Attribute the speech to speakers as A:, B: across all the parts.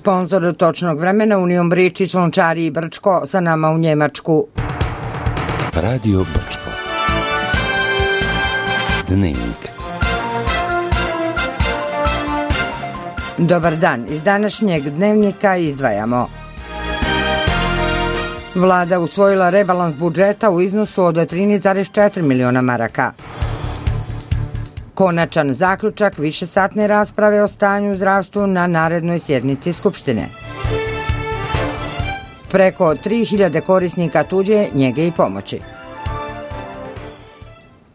A: Sponzor točnog vremena Union Bričić, Lončari i Brčko, sa nama u Njemačku.
B: Radio Brčko. Dnevnik.
A: Dobar dan, iz današnjeg dnevnika izdvajamo. Vlada usvojila rebalans budžeta u iznosu od 13,4 miliona maraka. Konačan zaključak višesatne rasprave o stanju u zdravstvu na narednoj sjednici Skupštine. Preko 3000 korisnika tuđe njege i pomoći.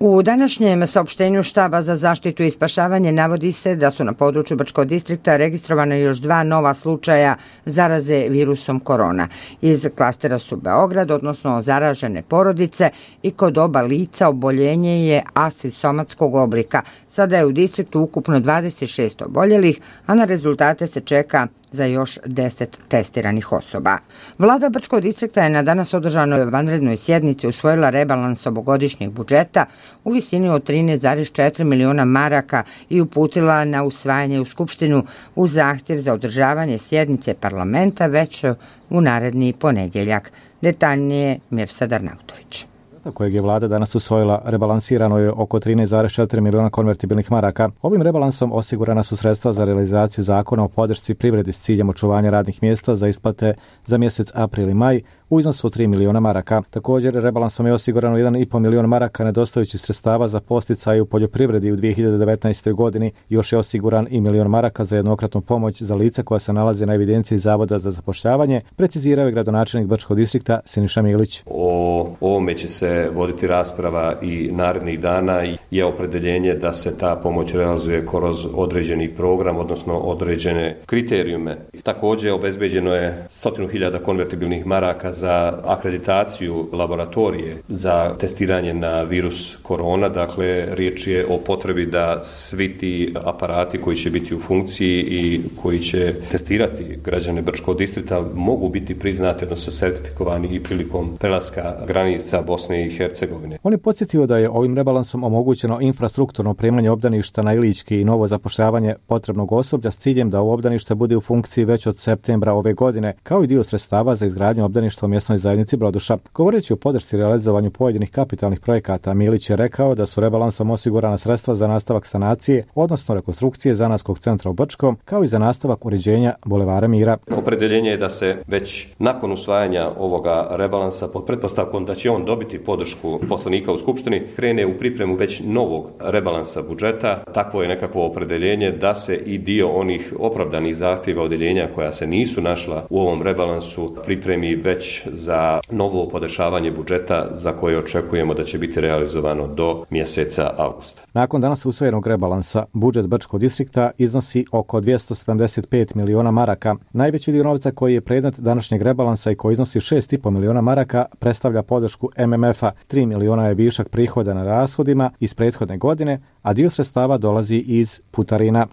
A: U današnjem saopštenju Štaba za zaštitu i spašavanje navodi se da su na području Brčkog distrikta registrovane još 2 nova slučaja zaraze virusom korona. Iz klastera su Beograd, odnosno zaražene porodice, i kod oba lica oboljenje je asimptomatskog oblika. Sada je u distriktu ukupno 26 oboljelih, a na rezultate se čeka za još 10 testiranih osoba. Vlada Brčkog distrikta je na danas održanoj vanrednoj sjednici usvojila rebalans ovogodišnjeg budžeta u visini od 13,4 miliona maraka i uputila na usvajanje u Skupštinu uz zahtjev za održavanje sjednice parlamenta već u naredni ponedjeljak. Detaljnije Mirsad Arnautović.
C: Kojeg je vlada danas usvojila, rebalansirano je oko 13,4 miliona konvertibilnih maraka. Ovim rebalansom osigurana su sredstva za realizaciju zakona o podršci privredi s ciljem očuvanja radnih mjesta za isplate za mjesec april i maj u iznosu od 3 miliona maraka. Također, rebalansom je osigurano 1,5 milion maraka nedostajućih sredstava za podsticaj u poljoprivredi u 2019. godini. Još je osiguran i milion maraka za jednokratnu pomoć za lica koja se nalaze na evidenciji Zavoda za zapošljavanje, precizirao je gradonačelnik Brčkog distrikta Siniša Milić.
D: O ovome će se voditi rasprava i narednih dana i je opredeljenje da se ta pomoć realizuje kroz određeni program, odnosno određene kriterijume. Također obezbeđeno je 100.000 konvertibilnih maraka za akreditaciju laboratorije za testiranje na virus korona. Dakle, riječ je o potrebi da svi ti aparati koji će biti u funkciji i koji će testirati građane Brčkog distrikta mogu biti priznati, odnosno sertifikovani i prilikom prelaska granica Bosne i Hercegovine.
C: On je podsjetio da je ovim rebalansom omogućeno infrastrukturno opremanje obdaništa na Ilički i novo zapošljavanje potrebnog osoblja s ciljem da ovo obdanište bude u funkciji već od septembra ove godine, kao i dio sredstava za izgradnju obdaništa u mjesnoj zajednici Broduša. Govoreći o podršci realizovanju pojedinih kapitalnih projekata, Milić je rekao da su rebalansom osigurana sredstva za nastavak sanacije, odnosno rekonstrukcije zanatskog centra u Brčkom, kao i za nastavak uređenja Bulevara Mira.
D: Opredeljenje je da se već nakon usvajanja ovoga rebalansa pod pretpostavkom da će on dobiti podršku poslanika u Skupštini krene u pripremu već novog rebalansa budžeta. Takvo je nekakvo opredeljenje da se i dio onih opravdanih zahtjeva odeljenja koja se nisu našla u ovom rebalansu pripremi već za novo podešavanje budžeta za koje očekujemo da će biti realizovano do mjeseca avgusta.
C: Nakon danas usvojenog rebalansa, budžet Brčkog distrikta iznosi oko 275 miliona maraka. Najveći dio novca koji je predmet današnjeg rebalansa i koji iznosi 6,5 miliona maraka predstavlja podršku MMF-a. 3 miliona je višak prihoda na rashodima iz prethodne godine, a dio sredstava dolazi iz putarina.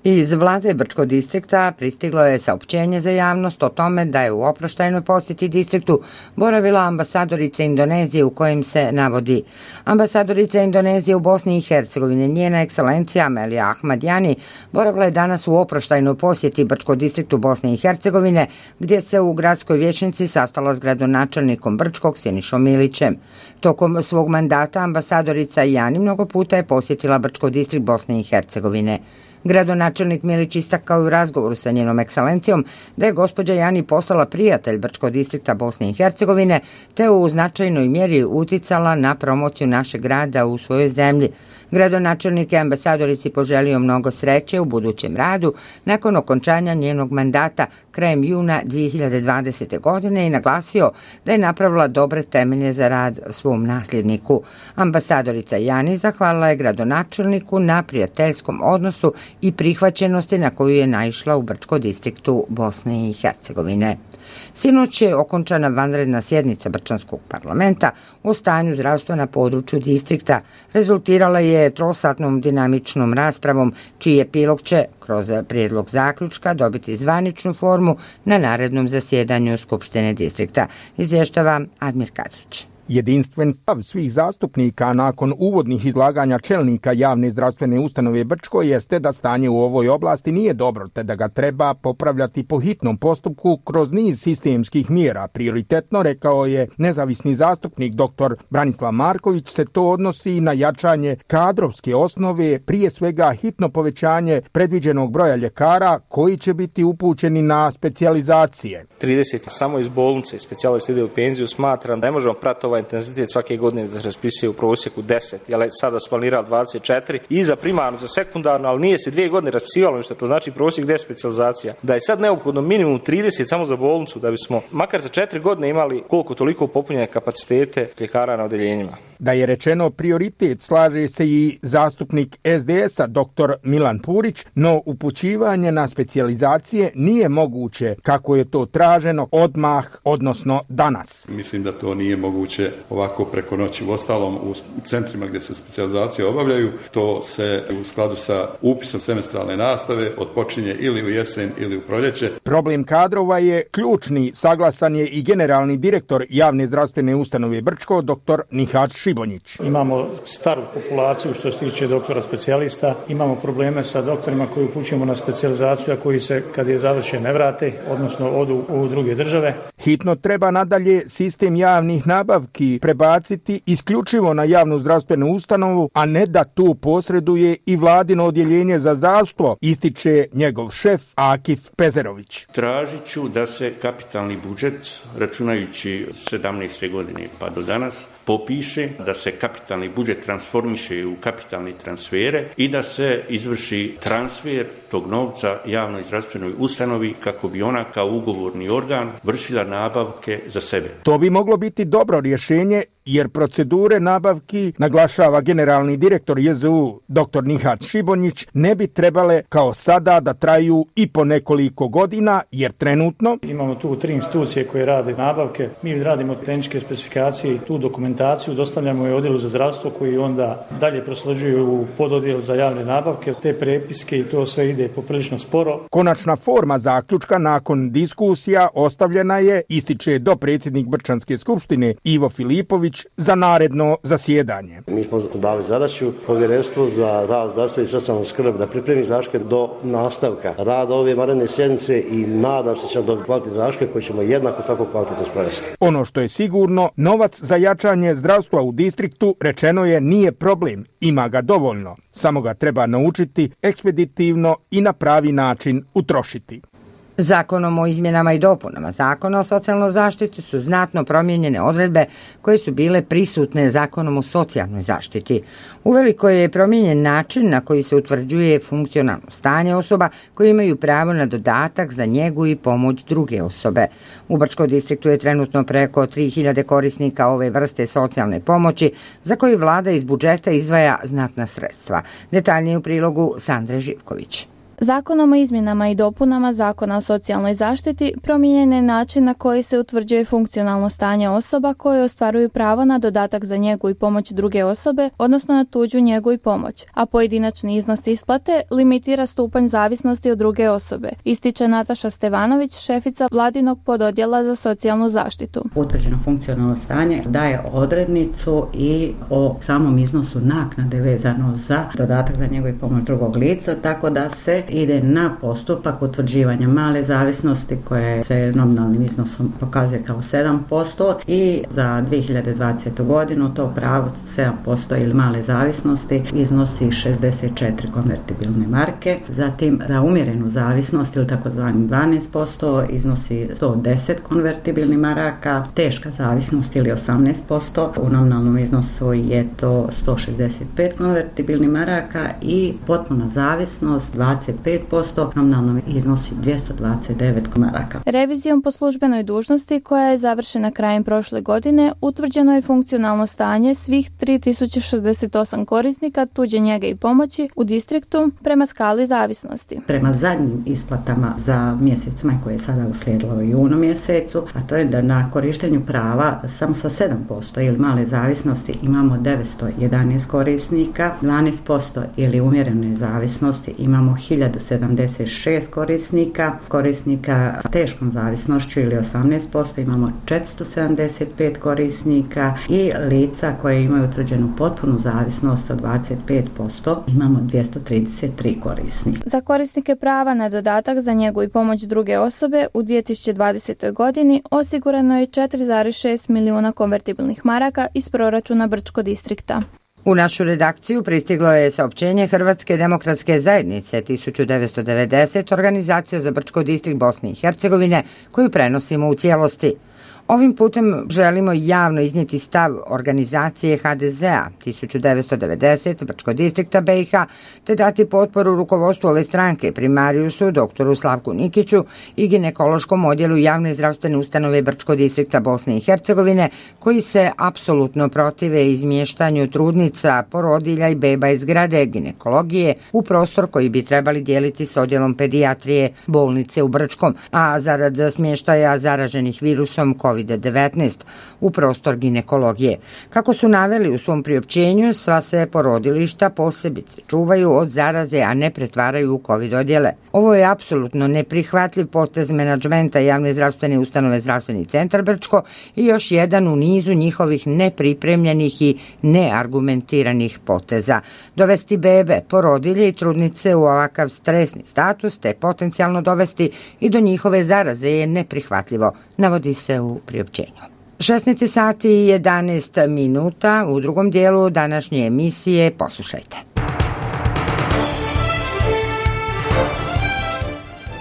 A: Iz vlade Brčkog distrikta pristiglo je saopćenje za javnost o tome da je u oproštajnoj posjeti distriktu boravila ambasadorica Indonezije u kojem se navodi: ambasadorica Indonezije u Bosni i Hercegovini, njena ekscelencija Amelija Ahmadjani, boravila je danas u oproštajnoj posjeti Brčkog distriktu Bosne i Hercegovine, gdje se u gradskoj vijećnici sastala s gradonačelnikom Brčkog Sinišom Milićem. Tokom svog mandata ambasadorica Jani mnogo puta je posjetila Brčkog distrikt Bosne i Hercegovine. Gradonačelnik Milić istakao u razgovoru sa njenom ekscelencijom da je gospođa Jani postala prijatelj Brčkog distrikta Bosne i Hercegovine, te u značajnoj mjeri uticala na promociju našeg grada u svojoj zemlji. Gradonačelnik je ambasadorici poželio mnogo sreće u budućem radu nakon okončanja njenog mandata krajem juna 2020. godine i naglasio da je napravila dobre temelje za rad svom nasljedniku. Ambasadorica Jani zahvalila je gradonačelniku na prijateljskom odnosu i prihvaćenosti na koju je naišla u Brčkom distriktu Bosne i Hercegovine. Sinoć je okončana vanredna sjednica Brčanskog parlamenta o stanju zdravstva na području distrikta. Rezultirala je trosatnom dinamičnom raspravom, čiji epilog će kroz prijedlog zaključka dobiti zvaničnu formu na narednom zasjedanju Skupštine distrikta, izvještava Admir Kadrić.
E: Jedinstven stav svih zastupnika nakon uvodnih izlaganja čelnika javne zdravstvene ustanove Brčko jeste da stanje u ovoj oblasti nije dobro, te da ga treba popravljati po hitnom postupku kroz niz sistemskih mjera. Prioritetno, rekao je nezavisni zastupnik dr. Branislav Marković, se to odnosi na jačanje kadrovske osnove, prije svega hitno povećanje predviđenog broja ljekara koji će biti upućeni na specijalizacije.
F: 30 samo iz bolnice, specijalisti ide u penziju, smatram da ne možemo pratiti ovaj intenzitet svake godine da se raspisuje u prosjeku 10, jer sada su planirali 24 i za primarnu, za sekundarnu, ali nije se 2 godine raspisivalo ništa, to znači prosjek 10 specijalizacija. Da je sad neophodno minimum 30 samo za bolnicu, da bismo makar za 4 godine imali koliko toliko popunjene kapacitete ljekara na odeljenjima.
E: Da je rečeno prioritet, slaže se i zastupnik SDS-a dr. Milan Purić, no upućivanje na specijalizacije nije moguće kako je to traženo odmah, odnosno danas.
G: Mislim da to nije moguće ovako preko noći. Uostalom, u centrima gdje se specijalizacije obavljaju, to se u skladu sa upisom semestralne nastave odpočinje ili u jesen ili u proljeće.
E: Problem kadrova je ključni, saglasan je i generalni direktor javne zdravstvene ustanove Brčko, dr. Nihat Šibonjić.
H: Imamo staru populaciju što se tiče doktora specijalista, imamo probleme sa doktorima koji upućujemo na specijalizaciju, a koji se kad je završen ne vrate, odnosno odu u druge države.
E: Hitno treba nadalje sistem javnih nabavki prebaciti isključivo na javnu zdravstvenu ustanovu, a ne da tu posreduje i vladino odjeljenje za zdravstvo, ističe njegov šef Akif Pezerović.
I: Tražit ću da se kapitalni budžet, računajući 17. godine pa do danas, popiše, da se kapitalni budžet transformiše u kapitalne transfere i da se izvrši transfer tog novca javnoj zdravstvenoj ustanovi kako bi ona kao ugovorni organ vršila nabavke za sebe.
E: To bi moglo biti dobro rješenje jer procedure nabavki, naglašava generalni direktor JZU dr. Nihat Šibonjić, ne bi trebale kao sada da traju i po nekoliko godina, jer trenutno
H: imamo tu 3 institucije koje rade nabavke, mi radimo tehničke specifikacije i tu dokumentaciju dostavljamo i odjelu za zdravstvo koji onda dalje prosleđuju u pododjel za javne nabavke, te prepiske i to sve ide poprilično sporo.
E: Konačna forma zaključka nakon diskusija ostavljena je, ističe dopredsjednik Brčanske skupštine Ivo Filipović, za naredno zasjedanje.
J: Mi smo dali zadaću Povjerenstvu za rad, zdravstvo i socijalnu skrb da pripremi zaštke do nastavka rada ove vanredne sjednice i nadam se ćemo dobiti kvalitetne zaštke koje ćemo jednako tako kvalitetno sprovesti.
E: Ono što je sigurno, novac za jačanje zdravstva u distriktu, rečeno je, nije problem, ima ga dovoljno, samo ga treba naučiti ekspeditivno i na pravi način utrošiti.
A: Zakonom o izmjenama i dopunama Zakona o socijalnoj zaštiti su znatno promijenjene odredbe koje su bile prisutne Zakonom o socijalnoj zaštiti. Uveliko je promijenjen način na koji se utvrđuje funkcionalno stanje osoba koji imaju pravo na dodatak za njegu i pomoć druge osobe. U Brčkom distriktu je trenutno preko 3000 korisnika ove vrste socijalne pomoći za koju vlada iz budžeta izdvaja znatna sredstva. Detaljnije u prilogu Sandre Živković.
K: Zakonom o izmjenama i dopunama Zakona o socijalnoj zaštiti promijenjen je način na koji se utvrđuje funkcionalno stanje osoba koje ostvaruju pravo na dodatak za njegu i pomoć druge osobe, odnosno na tuđu njegu i pomoć, a pojedinačni iznos isplate limitira stupanj zavisnosti od druge osobe, ističe Nataša Stevanović, šefica vladinog pododjela za socijalnu zaštitu.
L: Utvrđeno funkcionalno stanje daje odrednicu i o samom iznosu naknade vezano za dodatak za njegu i pomoć drugog lica, tako da se ide na postupak utvrđivanja male zavisnosti koje se nominalnim iznosom pokazuje kao 7% i za 2020. godinu to pravo 7% ili male zavisnosti iznosi 64 konvertibilne marke. Zatim za umjerenu zavisnost ili takozvani 12% iznosi 110 konvertibilnih maraka, teška zavisnost ili 18%, u nominalnom iznosu je to 165 konvertibilnih maraka i potpuna zavisnost 25%, nominalno iznosi 229 maraka.
K: Revizijom po službenoj dužnosti koja je završena krajem prošle godine utvrđeno je funkcionalno stanje svih 3068 korisnika tuđe njege i pomoći u distriktu prema skali zavisnosti.
L: Prema zadnjim isplatama za mjesec maj koje je sada uslijedilo u junu mjesecu, a to je da na korištenju prava samo sa 7% ili male zavisnosti imamo 911 korisnika, 12% ili umjerene zavisnosti imamo 1000 1076 korisnika teškom zavisnošću ili 18% imamo 475 korisnika i lica koje imaju utvrđenu potpunu zavisnost od 25% imamo 233 korisnika.
K: Za korisnike prava na dodatak za njegu i pomoć druge osobe u 2020. godini osigurano je 4,6 milijuna konvertibilnih maraka iz proračuna Brčko distrikta.
A: U našu redakciju pristiglo je saopćenje Hrvatske demokratske zajednice 1990, organizacija za Brčko distrikt Bosne i Hercegovine, koju prenosimo u cijelosti. Ovim putem želimo javno iznijeti stav organizacije HDZ-a 1990 Brčko distrikta BiH, te dati potporu rukovodstvu ove stranke, primarijusu doktoru Slavku Nikiću i ginekološkom odjelu javne zdravstvene ustanove Brčko distrikta Bosne i Hercegovine, koji se apsolutno protive izmještanju trudnica, porodilja i beba iz zgrade ginekologije u prostor koji bi trebali dijeliti s odjelom pedijatrije bolnice u Brčkom, a zarad smještaja zaraženih virusom COVID-19 u prostor ginekologije. Kako su naveli u svom priopćenju, sva se porodilišta posebice čuvaju od zaraze, a ne pretvaraju u COVID odjele. Ovo je apsolutno neprihvatljiv potez menadžmenta javne zdravstvene ustanove Zdravstveni centar Brčko i još jedan u nizu njihovih nepripremljenih i neargumentiranih poteza. Dovesti bebe, porodilje i trudnice u ovakav stresni status te potencijalno dovesti i do njihove zaraze je neprihvatljivo, navodi se u priopćenju. 16 sati i 11 minuta u drugom dijelu današnje emisije poslušajte.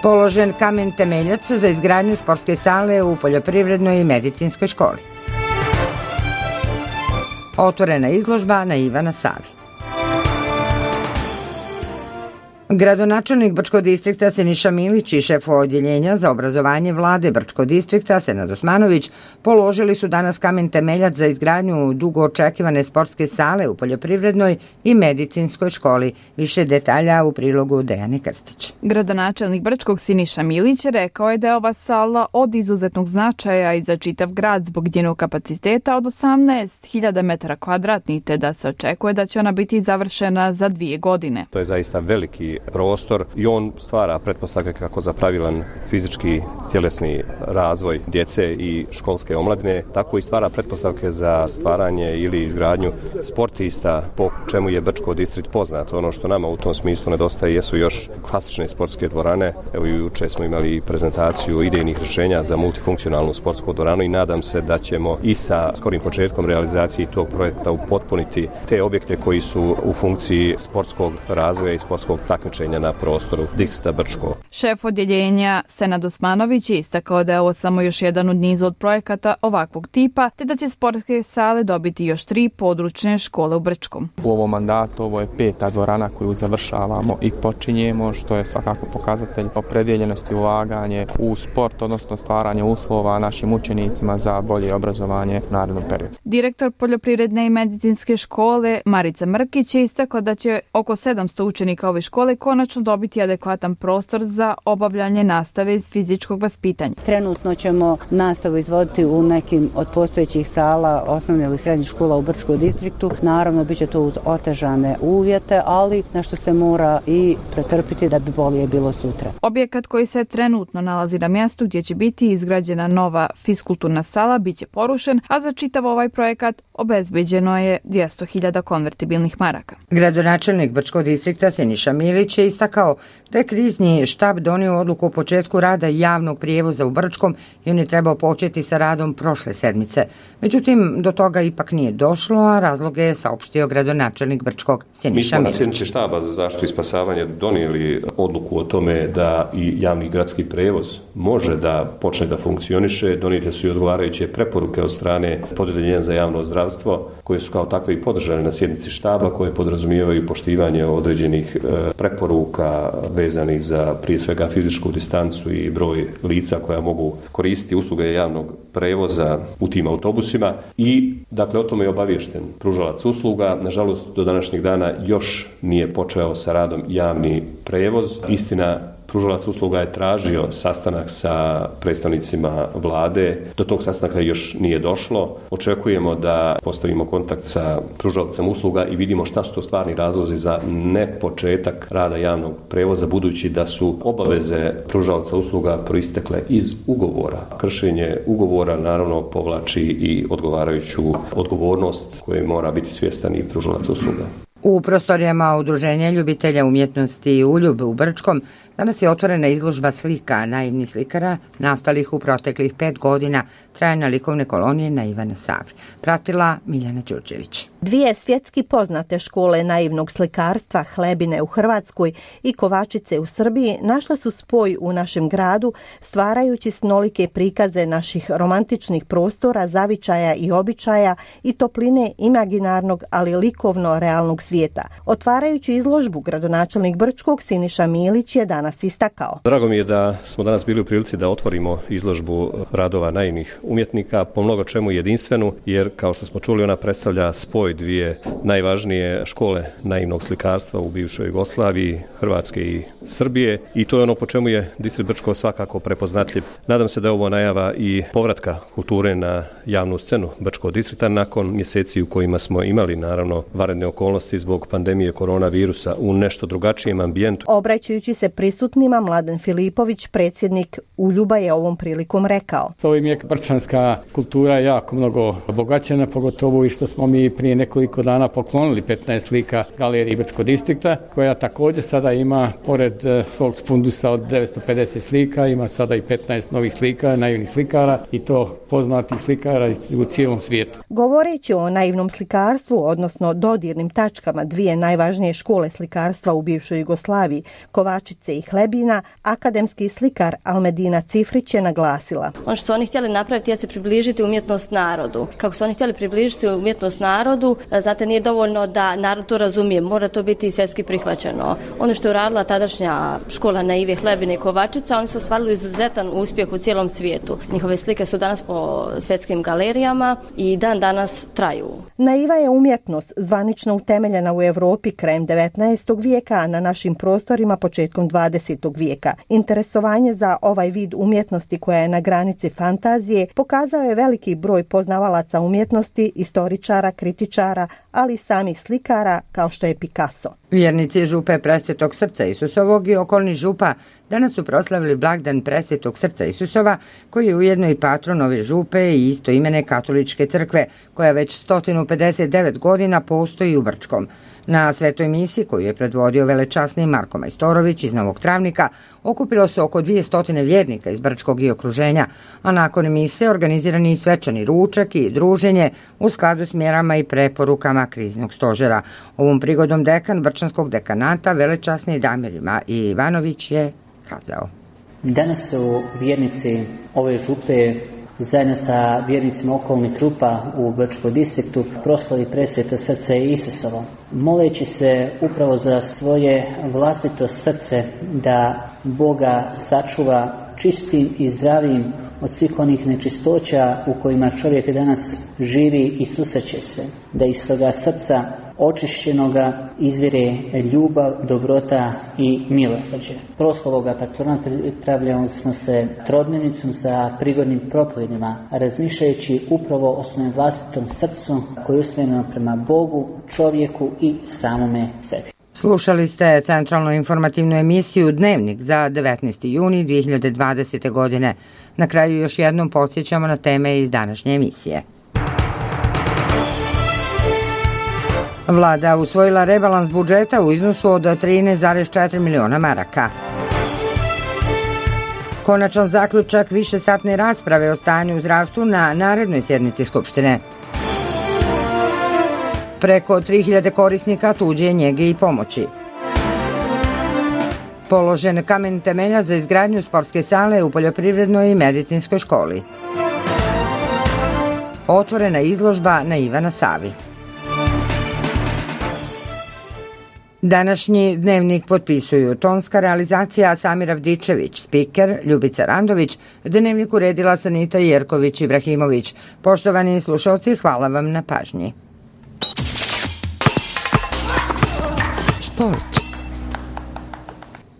A: Položen kamen temeljac za izgradnju sportske sale u Poljoprivrednoj i medicinskoj školi. Otvorena izložba na Ivana Savi. Gradonačelnik Brčko distrikta Siniša Milić i šef odjeljenja za obrazovanje vlade Brčko distrikta Senad Osmanović položili su danas kamen temeljac za izgradnju dugo očekivane sportske sale u Poljoprivrednoj i medicinskoj školi. Više detalja u prilogu Dejane Krstić.
M: Gradonačelnik Brčkog Siniša Milić rekao je da je ova sala od izuzetnog značaja i za čitav grad zbog njenog kapaciteta od 18.000 metara kvadratnih, te da se očekuje da će ona biti završena za 2 godine.
D: To je zaista veliki prostor i on stvara pretpostavke kako za pravilan fizički tjelesni razvoj djece i školske omladine, tako i stvara pretpostavke za stvaranje ili izgradnju sportista, po čemu je Brčko distrikt poznat. Ono što nama u tom smislu nedostaje jesu još klasične sportske dvorane. Evo juče smo imali prezentaciju idejnih rješenja za multifunkcionalnu sportsku dvoranu i nadam se da ćemo i sa skorim početkom realizacije tog projekta upotpuniti te objekte koji su u funkciji sportskog razvoja i sportskog takmičenja na prostoru distrikta Brčko.
M: Šef odjeljenja Senad Osmanović je istakao da je ovo samo još jedan od niza od projekata ovakvog tipa, te da će sportske sale dobiti još 3 područne škole u Brčkom.
N: U ovom mandatu ovo je 5. dvorana koju završavamo i počinjemo, što je svakako pokazatelj opredjeljenosti ulaganje u sport, odnosno stvaranje uslova našim učenicima za bolje obrazovanje u narednom periodu.
M: Direktor Poljoprivredne i medicinske škole Marica Mrkić je istakla da će oko 700 učenika ove škole konačno dobiti adekvatan prostor za obavljanje nastave iz fizičkog vaspitanja.
O: Trenutno ćemo nastavu izvoditi u nekim od postojećih sala osnovne ili srednjih škola u Brčkom distriktu. Naravno, bit će to uz otežane uvjete, ali nešto se mora i pretrpiti da bi bolje bilo sutra.
M: Objekat koji se trenutno nalazi na mjestu gdje će biti izgrađena nova fiskulturna sala bit će porušen, a za čitav ovaj projekat obezbeđeno je 200.000 konvertibilnih maraka.
A: Gradonačelnik Brčkog distrikta Siniša Milić je istakao da je krizni štab donio odluku o početku rada javnog prijevoza u Brčkom i on je trebao početi sa radom prošle sedmice. Međutim, do toga ipak nije došlo, a razloge je saopštio gradonačelnik Brčkog Siniša Milić.
D: Mi smo na sjednici štaba za zaštitu i spasavanje donijeli odluku o tome da i javni gradski prijevoz može da počne da funkcioniše. Donijete su i odgovarajuće preporuke od strane Pododjeljenja za javno zdravstvo, koje su kao takve i podržane na sjednici štaba, koje podrazumijevaju poštivanje određenih preporuka vezanih za prije svega fizičku distancu i broj lica koja mogu koristiti usluge javnog prevoza u tim autobusima i dakle o tome je obaviješten pružalac usluga. Nažalost, do današnjeg dana još nije počeo sa radom javni prevoz. Istina, pružalac usluga je tražio sastanak sa predstavnicima vlade. Do tog sastanaka još nije došlo. Očekujemo da postavimo kontakt sa pružalcem usluga i vidimo šta su to stvarni razlozi za nepočetak rada javnog prevoza, budući da su obaveze pružalca usluga proistekle iz ugovora. Kršenje ugovora naravno povlači i odgovarajuću odgovornost koje mora biti svjestan i pružalac usluga.
A: U prostorijama Udruženja ljubitelja umjetnosti Uljub u Brčkom danas je otvorena izložba slika naivnih slikara nastalih u proteklih 5 godina trajanja likovne kolonije na Ivana Savi. Pratila Miljana Đurđević.
P: Dvije svjetski poznate škole naivnog slikarstva, Hlebine u Hrvatskoj i Kovačice u Srbiji, našle su spoj u našem gradu, stvarajući snolike prikaze naših romantičnih prostora, zavičaja i običaja i topline imaginarnog, ali likovno realnog svijeta. Otvarajući izložbu, gradonačelnik Brčkog Siniša Milić je danas istakao.
D: Drago mi je da smo danas bili u prilici da otvorimo izložbu radova naivnih umjetnika, po mnogo čemu jedinstvenu, jer kao što smo čuli ona predstavlja spoj dvije najvažnije škole naivnog slikarstva u bivšoj Jugoslaviji, Hrvatske i Srbije, i to je ono po čemu je distrikt Brčko svakako prepoznatljiv. Nadam se da je ovo najava i povratka kulture na javnu scenu Brčkog distrikta nakon mjeseci u kojima smo imali naravno vanredne okolnosti zbog pandemije koronavirusa u nešto drugačijem ambijentu.
P: Obraćajući se prisutnima, Mladen Filipović, predsjednik Uljuba, je ovom prilikom rekao:
Q: Ovim je brčanska kultura jako mnogo obogaćena, pogotovo i što smo mi prije nekoliko dana poklonili 15 slika galeriji Brčkog distrikta, koja također sada ima, pored svog fundusa od 950 slika, ima sada i 15 novih slika, naivnih slikara, i to poznatih slikara u cijelom svijetu.
P: Govoreći o naivnom slikarstvu, odnosno dodirnim tačkama dvije najvažnije škole slikarstva u bivšoj Jugoslaviji, Kovačice i Hlebina, akademski slikar Almedina Cifrić je naglasila:
R: ono što su oni htjeli napraviti je se približiti umjetnost narodu. Kako su oni htjeli približiti umjetnost narodu, znate, nije dovoljno da narod to razumije, mora to biti i svjetski prihvaćeno. Ono što je uradila tadašnja škola naive Hlebine i Kovačica, oni su ostvarili izuzetan uspjeh u cijelom svijetu. Njihove slike su danas po svjetskim galerijama i dan danas traju.
P: Naiva je umjetnost zvanično utemeljena u Europi krajem 19. vijeka, a na našim prostorima početkom 20. vijeka. Interesovanje za ovaj vid umjetnosti, koja je na granici fantazije, pokazao je veliki broj poznavalaca umjetnosti, istoričara, kritičara, ali i samih slikara kao što je Picasso.
A: Vjernici župe Presvetog srca Isusovog i okolnih župa danas su proslavili blagdan Presvetog srca Isusova, koji je ujedno i patron ove župe i istoimene katoličke crkve, koja već 159 godina postoji u Brčkom. Na svetoj misi, koju je predvodio velečasni Marko Majstorović iz Novog Travnika, okupilo se oko 200 vjernika iz Brčkog i okruženja, a nakon mise organiziran je svečani ručak i druženje u skladu s mjerama i preporukama kriznog stožera. Ovom prigodom dekan Brčanskog dekanata velečasni Damir Ivanović je kazao:
S: Danas su vjernici ove župe zajedno sa vjernicima okolnih župa u Brčkom distriktu proslavi Presveto srce Isusovo, moleći se upravo za svoje vlastito srce da Boga sačuva čistim i zdravim od svih onih nečistoća u kojima čovjek danas živi i susreće se, da iz toga srca očišćenoga izvire ljubav, dobrota i milosrđe. Proslavoga patrona pripravljamo smo se trodnevnicom sa prigodnim propovedima, razmišljajući upravo o svojem vlastitom srcu koje je usmjereno prema Bogu, čovjeku i samome sebi.
A: Slušali ste centralnu informativnu emisiju Dnevnik za 19. juni 2020. godine. Na kraju još jednom podsjećamo na teme iz današnje emisije. Vlada usvojila rebalans budžeta u iznosu od 13,4 miliona maraka. Konačan zaključak višesatne rasprave o stanju u zdravstvu na narednoj sjednici Skupštine. Preko 3000 korisnika tuđe njege i pomoći. Položen kamen temelja za izgradnju sportske sale u poljoprivrednoj i medicinskoj školi. Otvorena izložba na Ivana Savi. Današnji Dnevnik potpisuju tonska realizacija Samir Avdičević, spiker Ljubica Randović, Dnevnik uredila Sanita Jerković Ibrahimović. Poštovani slušalci, hvala vam na pažnji. Sport.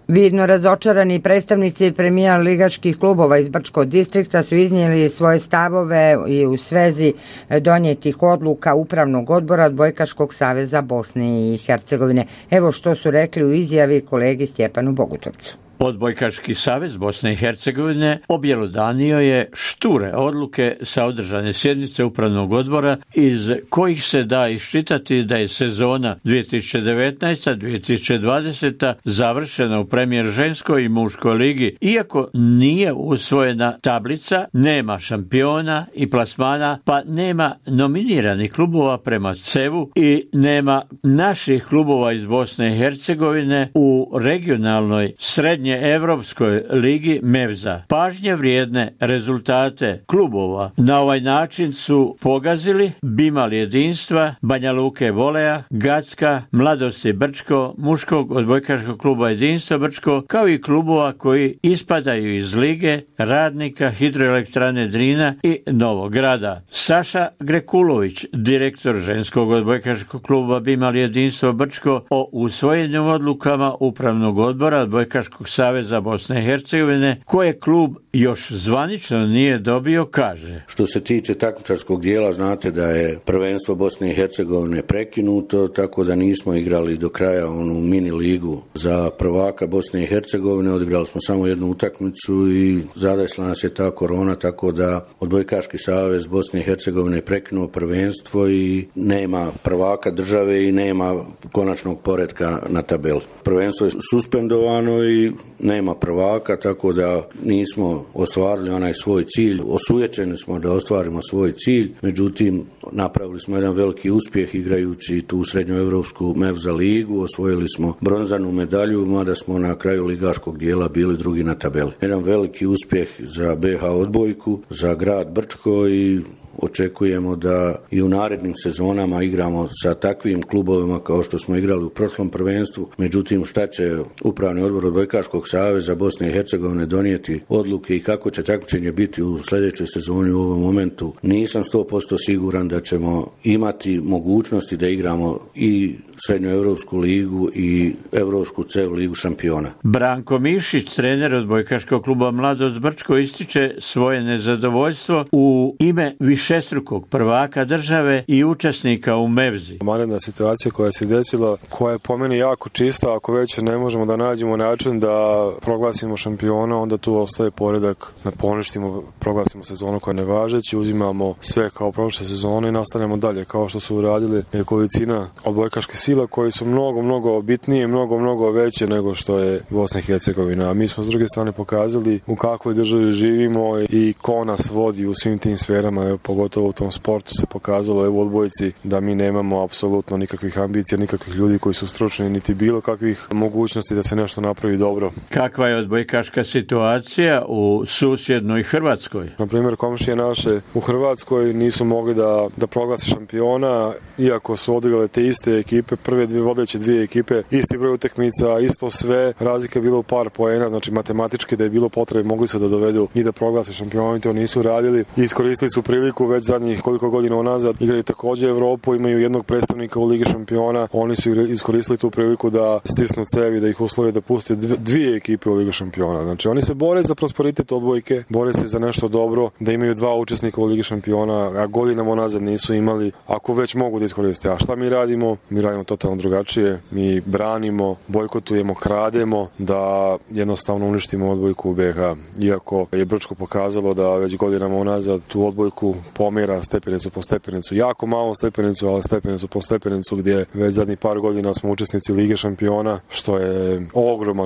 A: Vidno razočarani predstavnici premijer ligaških klubova iz Brčkog distrikta su iznijeli svoje stavove i u svezi donijetih odluka Upravnog odbora Odbojkaškog saveza Bosne i Hercegovine. Evo što su rekli u izjavi kolegi Stjepanu Bogutovcu.
T: Odbojkaški savez Bosne i Hercegovine objelodanio je šture odluke sa održane sjednice Upravnog odbora iz kojih se da iščitati da je sezona 2019-2020 završena u premijer ženskoj i muškoj ligi. Iako nije usvojena tablica, nema šampiona i plasmana, pa nema nominiranih klubova prema CEV-u i nema naših klubova iz Bosne i Hercegovine u regionalnoj srednje Evropskoj ligi Mevza. Pažnje vrijedne rezultate klubova na ovaj način su pogazili Bimal Jedinstva, Banja Luke Voleja, Gacka, Mladosti Brčko, muškog odbojkaškog kluba Jedinstvo Brčko, kao i klubova koji ispadaju iz lige Radnika, Hidroelektrane Drina i Novog Grada. Saša Grekulović, direktor ženskog odbojkaškog kluba Bimal Jedinstvo Brčko, o usvojenim odlukama Upravnog odbora Odbojkaškog saveza Bosne i Hercegovine, koje klub još zvanično nije dobio, kaže.
U: Što se tiče takmičarskog dijela, znate da je prvenstvo Bosne i Hercegovine prekinuto, tako da nismo igrali do kraja onu mini ligu za prvaka Bosne i Hercegovine. Odigrali smo samo jednu utakmicu i zadesila nas je ta korona, tako da Odbojkaški savez Bosne i Hercegovine je prekinuo prvenstvo i nema prvaka države i nema konačnog poretka na tabeli. Prvenstvo je suspendovano i nema prvaka, tako da nismo ostvarili onaj svoj cilj. Osujećeni smo da ostvarimo svoj cilj, međutim napravili smo jedan veliki uspjeh igrajući tu srednjoevropsku Mevza ligu, osvojili smo bronzanu medalju, mada smo na kraju ligaškog dijela bili drugi na tabeli. Jedan veliki uspjeh za BH odbojku, za grad Brčko i očekujemo da i u narednim sezonama igramo sa takvim klubovima kao što smo igrali u prošlom prvenstvu. Međutim, šta će Upravni odbor Odbojkaškog saveza Bosne i Hercegovine donijeti odluke i kako će takmičenje biti u sljedećoj sezoni u ovom momentu, nisam 100% siguran da ćemo imati mogućnosti da igramo i srednjoevropsku ligu i Evropsku CEV ligu šampiona.
T: Branko Mišić, trener Odbojkaškog kluba Mladost Brčko, ističe svoje nezadovoljstvo u ime višestrukog prvaka države i učesnika u Mevzi.
V: Vanredna situacija koja se desila, koja je po meni jako čista, ako već ne možemo da nađemo način da proglasimo šampiona, onda tu ostaje poredak da poništimo, proglasimo sezonu koja je nevažeća, uzimamo sve kao prošle sezone i nastavljamo dalje, kao što su uradili nekolicina odbojkaških sila koji su mnogo bitnije, mnogo veće nego što je Bosna i Hercegovina. A mi smo s druge strane pokazali u kakvoj državi živimo i ko nas vodi u svim tim sferama, pogotovo u tom sportu se pokazalo u odbojci da mi nemamo apsolutno nikakvih ambicija, nikakvih ljudi koji su stručni, niti bilo kakvih mogućnosti da se nešto napravi dobro.
T: Kakva je odbojkaška situacija u susjednoj Hrvatskoj?
V: Na primjer, komšije naše u Hrvatskoj nisu mogli da proglase šampiona, iako su odigrale te iste ekipe, prve vodeće dvije ekipe, isti broj utakmica, isto sve, razlika je bila u par poena, znači matematički da je bilo potrebe, mogli su da dovedu i da proglase šampiona, i to nisu radili. Iskoristili su priliku već zadnjih koliko godina unazad, igraju također Evropu, imaju jednog predstavnika u Ligi šampiona, oni su iskoristili tu priliku da stisnu cevi, da ih uslove da puste dvije ekipe u Ligi šampiona. Znači oni se bore za prosperitet odbojke, bore se za nešto dobro, da imaju dva učesnika u Ligi šampiona, a godinama unazad nisu imali, ako već mogu da iskoriste. A šta mi radimo? Mi radimo totalno drugačije, mi branimo, bojkotujemo, krademo, da jednostavno uništimo odbojku u BiH. Iako je Brčko pokazalo da već godinama unazad tu odbojku pomera stepenicu po stepenicu, jako malo stepenicu, ali stepenicu po stepenicu, gdje već zadnjih par godina smo učesnici Lige šampiona, što je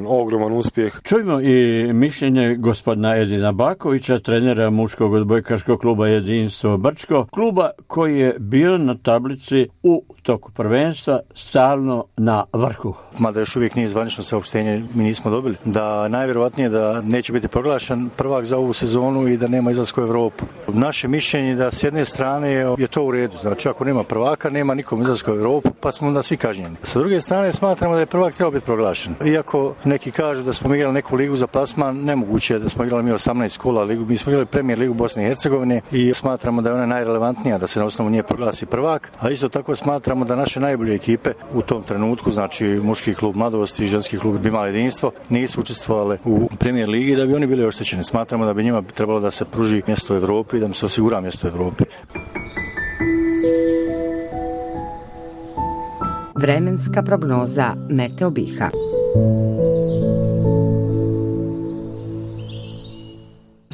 V: ogroman uspjeh.
T: Čujmo i mišljenje gospodina Edina Bakovića, trenera muškog odbojkaškog kluba Jedinstvo Brčko, kluba koji je bio na tablici u toku prvenstva stalno na vrhu.
W: Mada još uvijek nije zvanično saopštenje, mi nismo dobili, da najvjerojatnije da neće biti proglašen prvak za ovu sezonu i da nema izlaska u Evropu. Naše mišljenje mišljenje da s jedne strane je to u redu. Znači ako nema prvaka, nema nikom izlaska u Europu, pa smo onda svi kažnjeni. Sa druge strane smatramo da je prvak trebao biti proglašen. Iako neki kažu da smo igrali neku ligu za plasman, nemoguće je da smo igrali mi 18 kola ligu. Mi smo igrali Premier ligu Bosne i Hercegovine i smatramo da je ona najrelevantnija da se na osnovu nje proglasi prvak, a isto tako smatramo da naše najbolje ekipe u tom trenutku, znači muški klub Mladost i ženski klub Bimal jedinstvo, nisu učestvovale u Premier ligi da bi oni bili oštećeni. Smatramo da bi njima trebalo da se pruži mjesto u Evropi i da im se osigura mjesto u Evropi.
A: Vremenska prognoza Meteo Biha.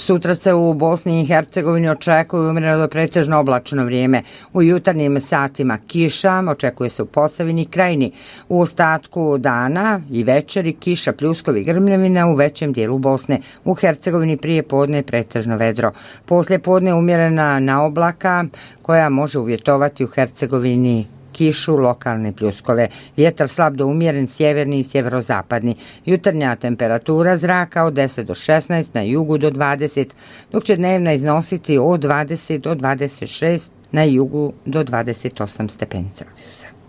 A: Sutra se u Bosni i Hercegovini očekuje umjereno do pretežno oblačno vrijeme. U jutarnjim satima kiša, očekuje se u Posavini i Krajini. U ostatku dana i večeri kiša, pljuskovi, grmljavina u većem dijelu Bosne. U Hercegovini prije podne pretežno vedro. Poslije podne umjerena naoblaka koja može uvjetovati u Hercegovini kišu, lokalne pljuskove. Vjetar slab do umjeren, sjeverni i sjeverozapadni. Jutarnja temperatura zraka od 10 do 16, na jugu do 20, dok će dnevna iznositi od 20 do 26, na jugu do 28 stepeni Celzijusa.